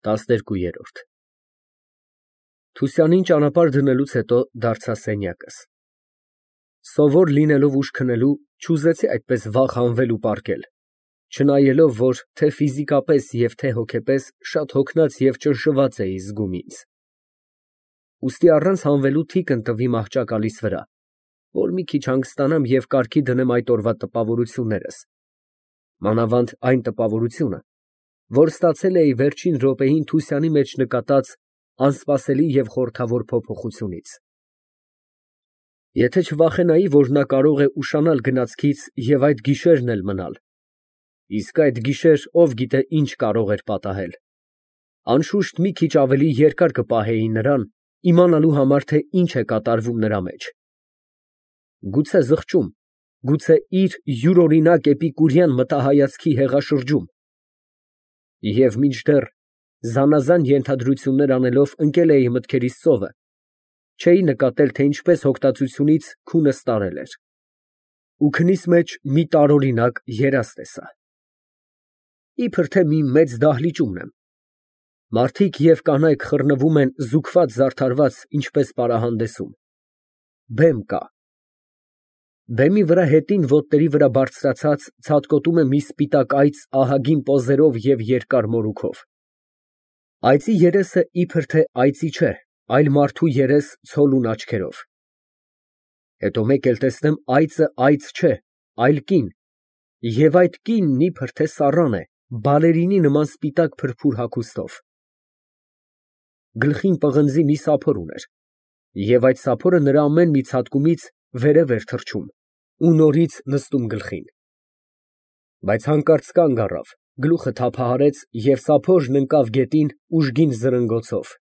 12։ Թուսյանին ճանապարհ դնելուց հետո դարձա սենյակս։ Սովոր լինելով ուշ քնելու, չուզեցի այդպես վաղ հանվել ու պառկել, չնայելով, որ թե ֆիզիկապես և թե հոգեպես շատ հոգնած և ճնշված էի զգում ինձ։ Ուստի առանց հանվելու թիկն տվի մահճակալիս վրա, որ մի քիչ հանգստանամ և կարգի դնեմ այդ օրվա տպավորություններս, մանավանդ այն տպավորությունը, որ ստացել էի վերջին րոպեին Թուսյանի մեջ նկատած անսպասելի և խորհրդավոր փոփոխությունից։ Եթե չվախենայի, որ նա կարող է ուշանալ գնացքից և այդ գիշերն էլ մնալ, իսկ այդ գիշեր ով գիտե ինչ կարող էր պատահել, անշուշտ մի քիչ ավելի երկար կպահեի նրան, իմանալու համար, թե ինչ է կատարվում նրա մեջ։ Գուցե զղջում, գուցե իր յուրօրինակ էպիկուրյան մտահայացքի հեղաշրջում։ Եվ մինչդեռ զանազան ենթադրություններ անելով ընկել էի մտքերիս ծովը, չէի նկատել, թե ինչպես հոգտացությունից քունս տարել էր։ Ու քնիս մեջ մի տարօրինակ երազ տեսա։ Իբր թե մի մեծ դահլիճումն եմ։ Մարդիկ և կանայք խռնվում են զուգված֊զարդարված, ինչպես պարահանդեսում։ Բեմ կա։ Բեմի վրա հետին ոտների վրա բարձրացած ցատկոտում է մի սպիտակ այծ ահագին պոզերով և երկար մորուքով։ Այծի երեսը իբր թե այծի չէ, այլ մարդու երես ցոլուն աչքերով։ Հետո մեկ էլ տեսնեմ այծը այծ չէ, այլ կին, և այդ կինն իբր թե սառան է, բալերինի նման սպիտակ փրփուր հագուստով։ Գլխին պղնձի մի սափոր ուներ, և այդ սափորը նրա ամեն մի ցատկումից վերև էր թռչում ու նորից նստում գլխին։ Բայց հանկարծ կանգ առավ, գլուխը թափահարեց և սափորն ընկավ գետին ուժգին զրնգոցով։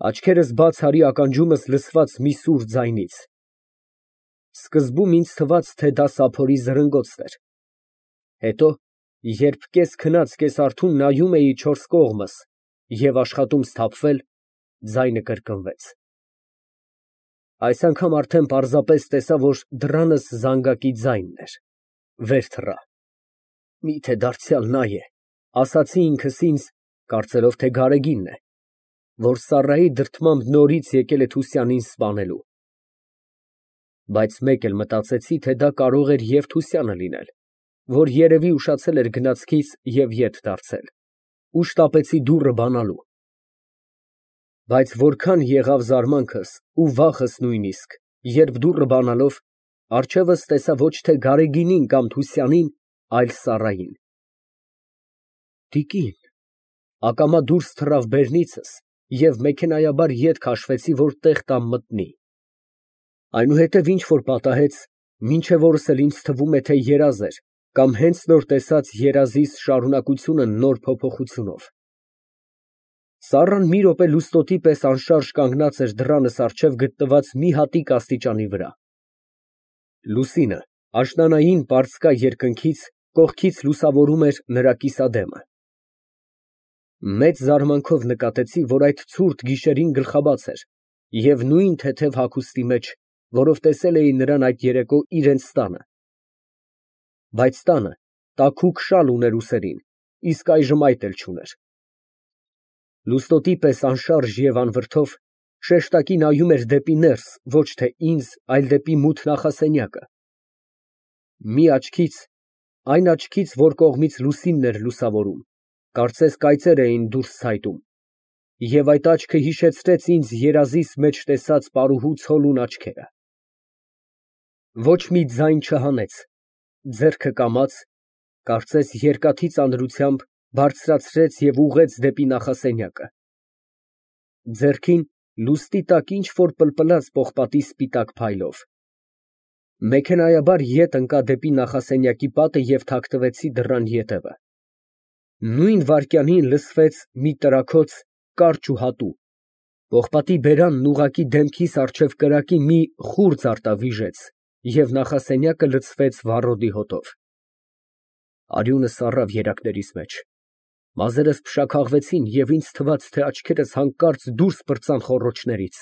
Աչքերս բաց արի ականջումս լսված մի սուր ձայնից։ Սկզբում ինձ թվաց, թե դա սափորի զրնգոցն էր։ Հետո, երբ կես֊քնած, կես֊արթուն նայում էի չորս կողմս և աշխատում սթափվել, ձայնը կրկնվեց։ Այս անգամ արդեն պարզապես տեսա, որ դռանս զանգակի ձայնն էր, վեր թռա։ Մի՞թե դարձյալ նա է, ասացի ինքս ինձ, կարծելով, թե Գարեգինն է, որ Սառայի դրդմամբ նորից եկել է Թուսյանին սպանելու։ Բայց մեկ էլ մտածեցի, թե դա կարող էր և Թուսյանը լինել, որ երևի ուշացել էր գնացքից և ետ դարձել, ու շտապեցի դուռը բանալու։ Բայց որքան եղավ զարմանքս ու վախս նույնիսկ, երբ դուռը բանալով, առջևս տեսա ոչ թե Գարեգինին կամ Թուսյանին, այլ Սառային։ Տիկին, ակամա դուրս թռավ բերնիցս և մեքենայաբար ետ քաշվեցի, որ տեղ տամ մտնի։ Այնուհետև ինչ֊որ պատահեց, մինչև օրս էլ ինձ թվում է, թե երազ էր, կամ հենց նոր տեսած երազիս շարունակությունը նոր փոփոխությունով։ Սառան մի րոպե լուստոտի պես անշարժ կանգնած էր դռանս առջև գտնված մի հատիկ աստիճանի վրա։ Լուսինը աշնանային պարծկա երկնքից կողքից լուսավորում էր նրա կիսադեմը։ Մեծ զարմանքով նկատեցի, որ այդ ցուրտ գիշերին գլխաբաց էր և նույն թեթև հագուստի մեջ, որով տեսել էի նրան այդ երեկո իրենց տանը։ Բայց տանը տաքուկ շալ ուներ ուսերին, իսկ այժմ այդ էլ չուներ։ Լուստոտի պես անշարժ և անվրդով շեշտակի նայում էր դեպի ներս, ոչ թե ինձ, այլ դեպի մութ նախասենյակը։ Մի աչքից, այն աչքից, որ կողմից լուսինն էր լուսավորում, կարծես կայծեր էին դուրս ցայտում, և այդ աչքը հիշեցրեց ինձ երազիս մեջ տեսած պարուհու ցոլուն աչքերը։ Ոչ մի ձայն չհանեց, ձեռքը կամաց, կարծես երկաթի ծանրությամբ բարձրացրեց և ուղղեց դեպի նախասենյակը։ Ձեռքին լուստի տակ ինչ֊որ պլպլաց պողպատի սպիտակ փայլով։ Մեքենայաբար ետ ընկա դեպի նախասենյակի պատը և թաքնվեցի դռան ետևը։ Նույն վայրկյանին լսվեց մի տրաքոց, կարճ ու հատու, պողպատի բերանն ուղղակի դեմքիս առջև կրակի մի խուրձ արտավիժեց և նախասենյակը լցվեց վառոդի հոտով։ Արյունս առավ երակներիս մեջ, մազերս փշաքաղվեցին և ինձ թվաց, թե աչքերս հանկարծ դուրս պրծան խոռոչներից։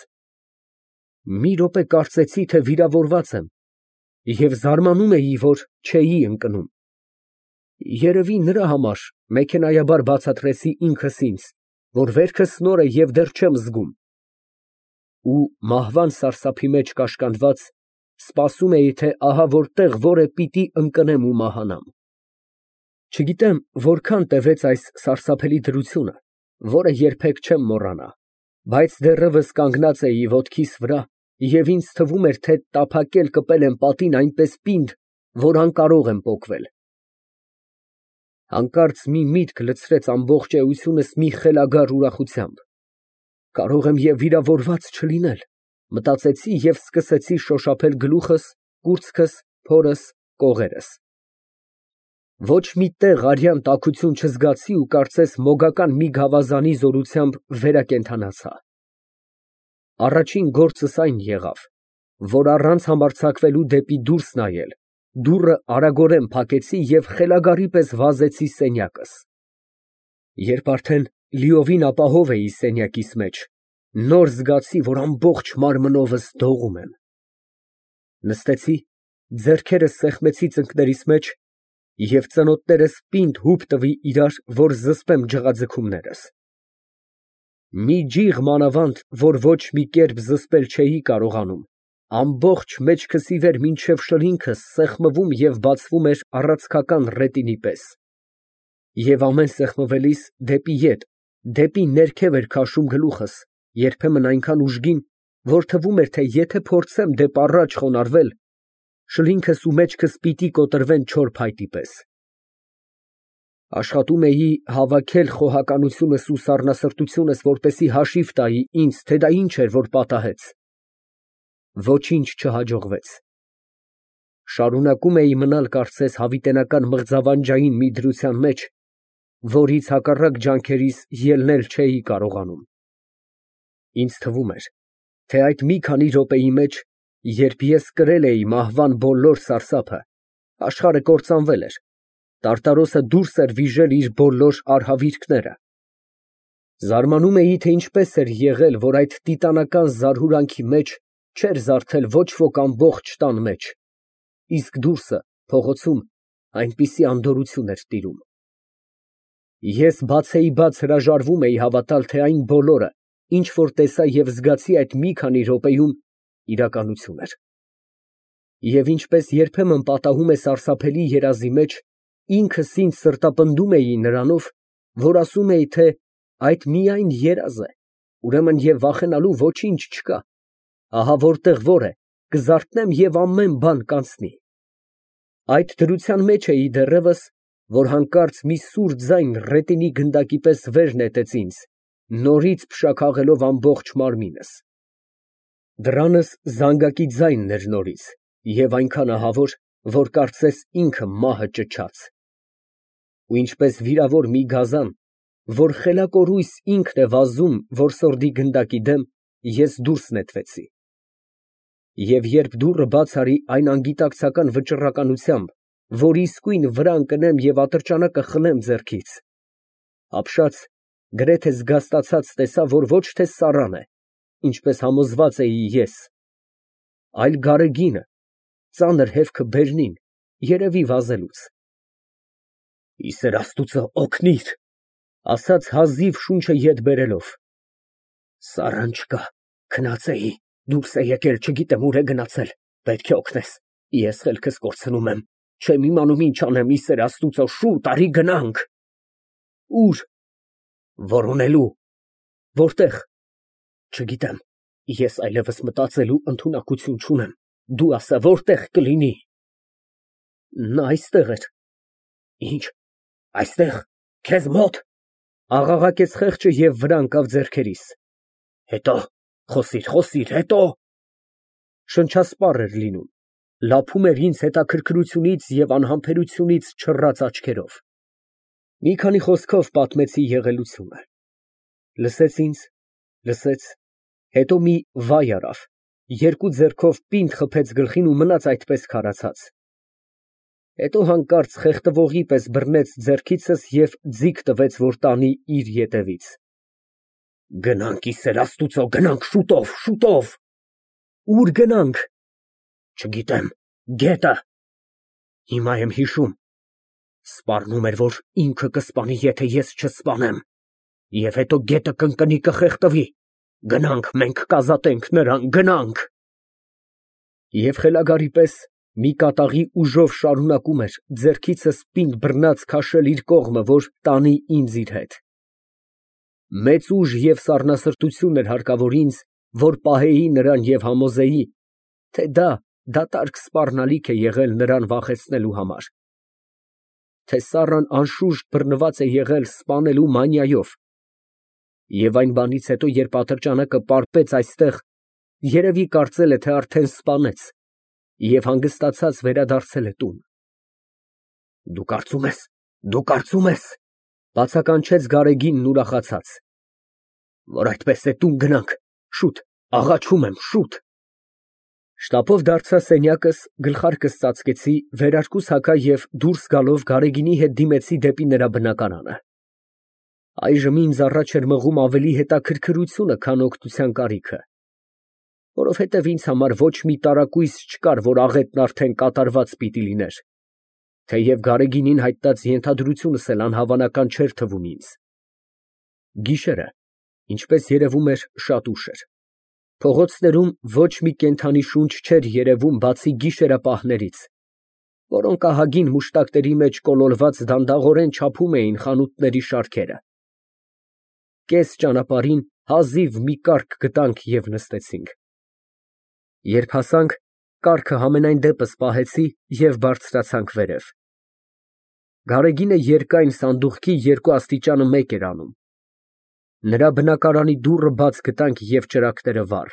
Մի րոպե կարծեցի, թե վիրավորված եմ և զարմանում էի, որ չէի ընկնում։ Երևի նրա համար մեքենայաբար բացատրեցի ինքս ինձ, որ վերքս նոր է և դեռ չեմ զգում։ Ու մահվան սարսափի մեջ կաշկանդված, սպասում էի, թե ահա որտեղ որ է պիտի ընկնեմ ու մահանամ։ Չգիտեմ որքան տևեց այս սարսափելի դրությունը, որը երբեք չեմ մոռանա, բայց դեռևս կանգնած էի ոտքիս վրա և ինձ թվում էր, թե տափակել կպել եմ պատին այնպես պինդ, որ անկարող եմ պոկվել։ Հանկարծ մի միտք լցրեց ամբողջ էությունս մի խելագար ուրախությամբ։ Կարող եմ և վիրավորված չլինել, մտածեցի և սկսեցի շոշափել գլուխս, կուրծքս, փորս, կողերս։ Ոչ մի տեղ արյան տաքություն չզգացի ու կարծես մոգական մի գավազանի զորությամբ վերակենդանացա։ Առաջին գործս այն եղավ, որ առանց համարձակվելու դեպի դուրս նայել, դուռը արագորեն փակեցի և խելագարի պես վազեցի սենյակս։ Երբ արդեն լիովին ապահով էի սենյակիս մեջ, նոր զգացի, որ ամբողջ մարմնովս դողում եմ։ Նստեցի, ձեռքերս սեղմեցի ծնկներիս մեջ և ծնոտներս պինդ հուպ տվի իրար, որ զսպեմ ջղաձգումներս։ Մի ջիղ մանավանդ, որ ոչ մի կերպ զսպել չէի կարողանում, ամբողջ մեջքս ի վեր մինչև շրինքս սեղմվում և բացվում էր առաձգական ռետինի պես։ Եվ ամեն սեղմվելիս դեպի ետ, դեպի ներքև էր քաշում գլուխս, երբեմն այնքան ուժգին, որ թվում էր, թե եթե փորձեմ դեպ առաջ խոնարհվել, շրինքս ու մեջքս պիտի կոտրվեն չոր փայտի պես։ Աշխատում էի հավաքել խոհականությունս ու սառնասրտությունս, որպեսզի հաշիվ տայի ինձ, թե դա ինչ էր, որ պատահեց։ Ոչինչ չհաջողվեց։ Շարունակում էի մնալ կարծես հավիտենական մղձավանջային մի դրության մեջ, որից հակառակ ջանքերիս ելնել չէի կարողանում։ Ինձ թվում էր, թե այդ մի քանի րոպեի մեջ, երբ ես կրել էի մահվան բոլոր սարսափը, աշխարհը կործանվել էր, տարտարոսը դուրս էր վիժել իր բոլոր արհավիրքները։ Զարմանում էի, թե ինչպես էր եղել, որ այդ տիտանական զարհուրանքի մեջ չէր զարթել ոչ ոք ամբողջ տան մեջ, իսկ դուրսը, փողոցում, այնպիսի անդորրություն էր տիրում։ Ես բացեիբաց հրաժարվում էի հավատալ, թե այն բոլորը, ինչ որ տեսա և զգացի այդ մի քանի րոպեում, իրականություն էր։ Եվ ինչպես երբեմն պատահում է սարսափելի երազի մեջ, ինքս ինձ սրտապնդում էի նրանով, որ ասում էի, թե այդ միայն երազ է, ուրեմն և վախենալու ոչինչ չկա, ահա որտեղ որ է, կզարթնեմ և ամեն բան կանցնի։ Այդ դրության մեջ էի դեռևս, որ հանկարծ մի սուր ձայն ռետինի գնդակի պես վեր նետեց ինձ, նորից փշաքաղելով ամբողջ մարմինս։ Դրանս զանգակի ձայնն էր նորից և այնքան ահավոր, որ կարծես ինքը մահը ճչաց։ Ու ինչպես վիրավոր մի գազան, որ խելակորույս ինքն է վազում որսորդի գնդակի դեմ, ես դուրս նետվեցի։ Եվ երբ դուռը բաց արի այն անգիտակցական վճռականությամբ, որ իսկույն վրա ընկնեմ և ատրճանակը խլեմ ձեռքից, ապշած, գրեթե զգաստացած տեսա, որ ոչ թե սառան է, ինչպես համոզված էի ես, այլ գարեգինը, ծանր հևքը բերնին, երևի վազելուց։ «Ի սեր Աստուծո օգնիր», ասաց հազիվ շունչը ետ բերելով։ «Սառան չկա, քնած էի, դուրս է եկել, չգիտեմ ուր է գնացել, պետք է օգնես, ես խելքս կորցնում եմ, չեմ իմանում ինչ անեմ, ի սեր Աստուծո, շուտ արի գնանք»։ Ո՞ւր։ Որոնելու։ Որտե՞ղ։ Չգիտեմ, ես այլևս մտածելու ընդունակություն չունեմ, դու ասա որտեղ կլինի։ Նա այստեղ էր։ Ինչ, այստեղ, քեզ մոտ։ Աղաղակեց խեղճը և վրա ընկավ ձեռքերիս։ Հետո, խոսիր, հետո։ Շնչասպառ էր լինում, լափում էր ինձ հետաքրքրությունից և անհամբերությունից չռած աչքերով։ Մի քանի խոսքով պատմեցի եղելությունը։ Լսեց ինձ, լսեց, հետո մի վայ արավ, երկու ձեռքով պինդ խփեց գլխին ու մնաց այդպես քարացած։ Հետո հանկարծ խեղդվողի պես բռնեց ձեռքիցս և ձիգ տվեց, որ տանի իր ետևից։ Գնանք, ի սեր Աստուծո, գնանք շուտով, շուտով։ Ուր գնանք։ Չգիտեմ, գետը։ Հիմա եմ հիշում։ Սպառնում էր, որ ինքը կսպանի, եթե ես չսպանեմ։ Եվ հետո գետը կընկնի կխեղդվի։ Գնանք, մենք կազատենք նրան, գնանք։ Եվ խելագարի պես մի կատաղի ուժով շարունակում էր ձեռքիցս պինդ բռնած քաշել իր կողմը, որ տանի ինձ իր հետ։ Մեծ ուժ և սառնասրտություն էր հարկավոր ինձ, որ պահեի նրան և համոզեի, թե դա դատարկ սպառնալիք է եղել նրան վախեցնելու համար, թե Սառան անշուշտ բռնված է եղել սպանելու մանիայով, և այն բանից հետո, երբ ատրճանակը պարպեց այստեղ, երևի կարծել է, թե արդեն սպանեց և հանգստացած վերադարձել է տուն։ Դու կարծում ես, բացականչեց Գարեգինն ուրախացած, որ այդպես է, տուն գնանք, շուտ, աղաչում եմ, շուտ։ Շտապով դարձա սենյակս, գլխարկս ծածկեցի, վերարկուս հագա և դուրս գալով Գարեգինի հետ դիմեցի դեպի նրա բնակարանը։ Այժմ ինձ առաջ էր մղում ավելի հետաքրքրությունը, քան օգնության կարիքը, որովհետև ինձ համար ոչ մի տարակույս չկար, որ աղետն արդեն կատարված պիտի լիներ, թեև Գարեգինին հայտնած ենթադրությունս էլ անհավանական չէր թվում ինձ։ Գիշերը, ինչպես երևում էր, շատ ուշ էր։ Փողոցներում ոչ մի կենդանի շունչ չէր երևում, բացի գիշերապահներից, որոնք ահագին մուշտակների մեջ կոլորված դանդաղորեն չափում էին խանութների շարքերը։ Կես ճանապարհին հազիվ մի կառք գտանք և նստեցինք։ Երբ հասանք, կառքը համենայն դեպս պահեցի և բարձրացանք վերև։ Գարեգինը երկայն սանդուղքի երկու աստիճանը մեկ էր անում։ Նրա բնակարանի դուռը բաց գտանք և ճրագները վառ։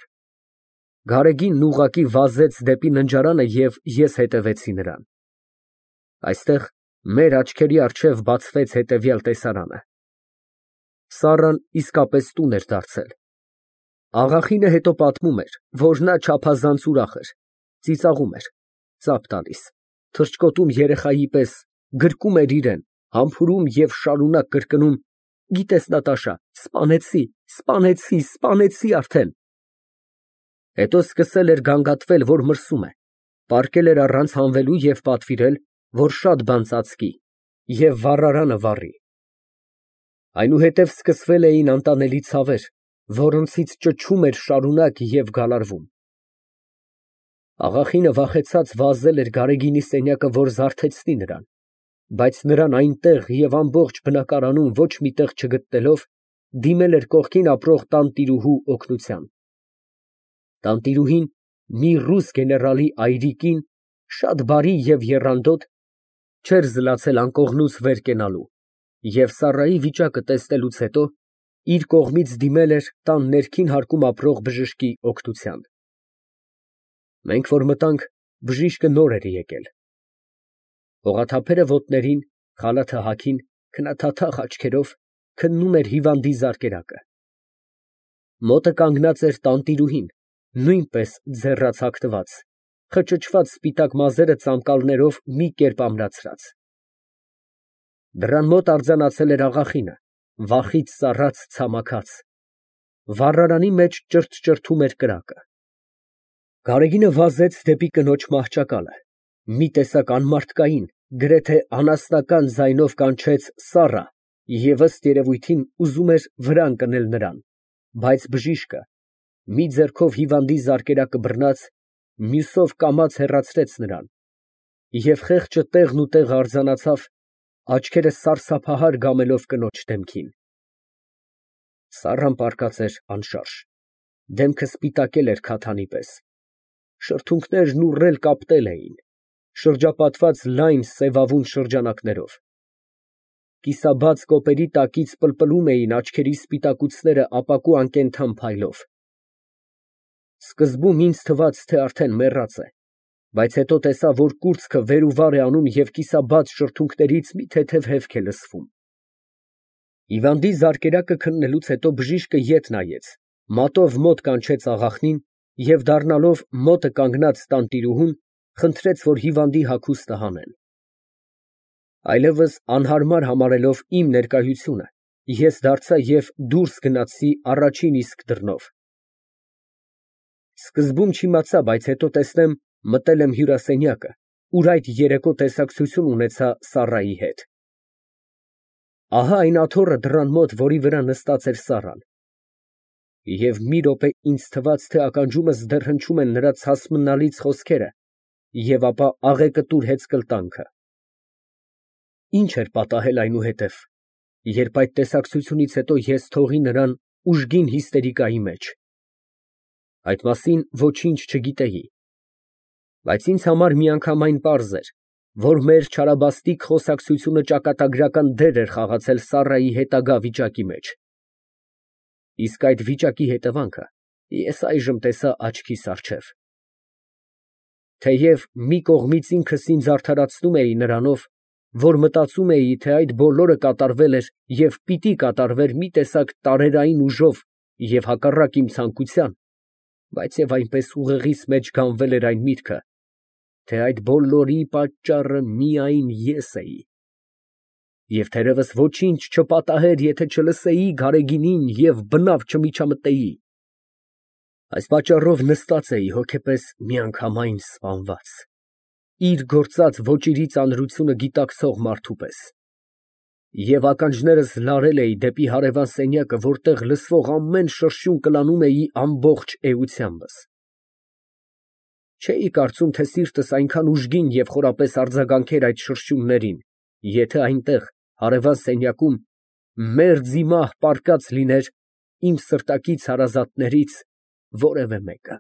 Գարեգինն ուղղակի վազեց դեպի ննջարանը և ես հետևեցի նրան։ Այստեղ մեր աչքերի առջև բացվեց հետևյալ տեսարանը. Սառան իսկապես տուն էր դարձել։ Աղախինը հետո պատմում էր, որ նա չափազանց ուրախ էր, ծիծաղում էր, ծափ տալիս, թռչկոտում երեխայի պես, գրկում էր իրան, համբուրում և շարունակ կրկնում. «Գիտես, Նատաշա, սպանեցի արդեն»։ Հետո սկսել էր գանգատվել, որ մրսում է, պառկել էր առանց հանվելու և պատվիրել, որ շատ բան ծածկի և վառարանը վառի։ Այնուհետև սկսվել էին անտանելի ցավեր, որոնցից ճչում էր շարունակ և գալարվում։ Աղախինը վախեցած վազել էր Գարեգինի սենյակը, որ զարթեցնի նրան, բայց նրան այնտեղ և ամբողջ բնակարանում ոչ մի տեղ չգտնելով, դիմել էր կողքին ապրող տանտիրուհու օգնության։ Տանտիրուհին, մի ռուս գեներալի այրիկին, շատ բարի և եռանդոտ, չէր զլացել անկողնուց վեր կենալու և Սառայի վիճակը տեսնելուց հետո իր կողմից դիմել էր տան ներքին հարկում ապրող բժշկի օգնության։ Մենք որ մտանք, բժիշկը նոր էր եկել։ Հողաթափերը ոտներին, խալաթը հագին, քննաթաթախ աչքերով, քննում էր հիվանդի զարկերակը։ Մոտը կանգնած էր տանտիրուհին, նույնպես ձեռաց հագնված, խճճված սպիտակ մազերը ծամկալներով մի կերպ ամրացրած։ Դռան մոտ արձանացել էր աղախինը, վախից սառած, ցամաքած։ Վառարանի մեջ ճրթճրթում էր կրակը։ Գարեգինը վազեց դեպի կնոջ մահճակալը, մի տեսակ անմարդկային, գրեթե անասնական ձայնով կանչեց «Սառա» և ըստ երևույթին ուզում էր վրա ընկնել նրան, բայց բժիշկը, մի ձեռքով հիվանդի զարկերակը բռնած, մյուսով կամաց հեռացրեց նրան, և խեղճը տեղնուտեղ արձանացավ, աչքերը սարսափահար գամելով կնոջ դեմքին։ Սառան պառկած էր անշարժ, դեմքը սպիտակել էր քաթանի պես, շրթունքներն ուռել կապտել էին, շրջապատված լայն սևավուն շրջանակներով։ Կիսաբաց կոպերի տակից պլպլում էին աչքերի սպիտակուցները ապակու անկենդան փայլով։ Սկզբում ինձ թվաց, թե արդեն մեռած է, բայց հետո տեսա, որ կուրծքը վեր ու վար է անում և կիսաբաց շրթունքներից մի թեթև հևք է լսվում։ Հիվանդի զարկերակը քննելուց հետո բժիշկը ետ նայեց, մատով մոտ կանչեց աղախնին և դառնալով մոտը կանգնած տանտիրուհուն, խնդրեց, որ հիվանդի հագուստը հանեն։ Այլևս անհարմար համարելով իմ ներկայությունը, ես դարձա և դուրս գնացի առաջին իսկ դռնով։ Սկզբում չիմացա, բայց հետո տեսնեմ, մտել եմ հյուրասենյակը, ուր այդ երեկո տեսակցություն ունեցա Սառայի հետ։ Ահա այն աթոռը դռան մոտ, որի վրա նստած էր Սառան։ Եվ մի րոպե ինձ թվաց, թե ականջումս դեռ հնչում են նրա ցասմնալից խոսքերը, և ապա աղեկտուր հեծկլտանքը։ Ինչ էր պատահել այնուհետև, երբ այդ տեսակցությունից հետո ես թողի նրան ուժգին հիստերիկայի մեջ։ Այդ մասին ոչինչ չգիտեի, բայց ինձ համար միանգամայն պարզ էր, որ մեր չարաբաստիկ խոսակցությունը ճակատագրական դեր էր խաղացել Սառայի հետագա վիճակի մեջ։ Իսկ այդ վիճակի հետևանքը ես այժմ տեսա աչքիս առջև։ Թեև մի կողմից ինքս ինձ արդարացնում էի նրանով, որ մտածում էի, թե այդ բոլորը կատարվել էր և պիտի կատարվեր մի տեսակ տարերային ուժով և հակառակ իմ ցանկության, բայց և այնպես ուղեղիս մեջ գանվել էր այն միտքը, թե այդ բոլորի պատճառը միայն ես էի, և թերևս ոչինչ չպատահեր, եթե չլսեի Գարեգինին և բնավ չմիջամտեի։ Այս պատճառով նստած էի հոգեպես միանգամայն սպանված, իր գործած ոճիրի ծանրությունը գիտակցող մարդու պես, և ականջներս լարել էի դեպի հարևան սենյակը, որտեղ լսվող ամեն շրշյուն կլանում էի ամբողջ էությանբս։ Չէի կարծում, թե սիրտս այնքան ուժգին և խորապես արձագանքեր այդ շրշյուններին, եթե այնտեղ, հարևան սենյակում, մերձիմահ պառկած լիներ իմ սրտակից հարազատներից որևէ մեկը։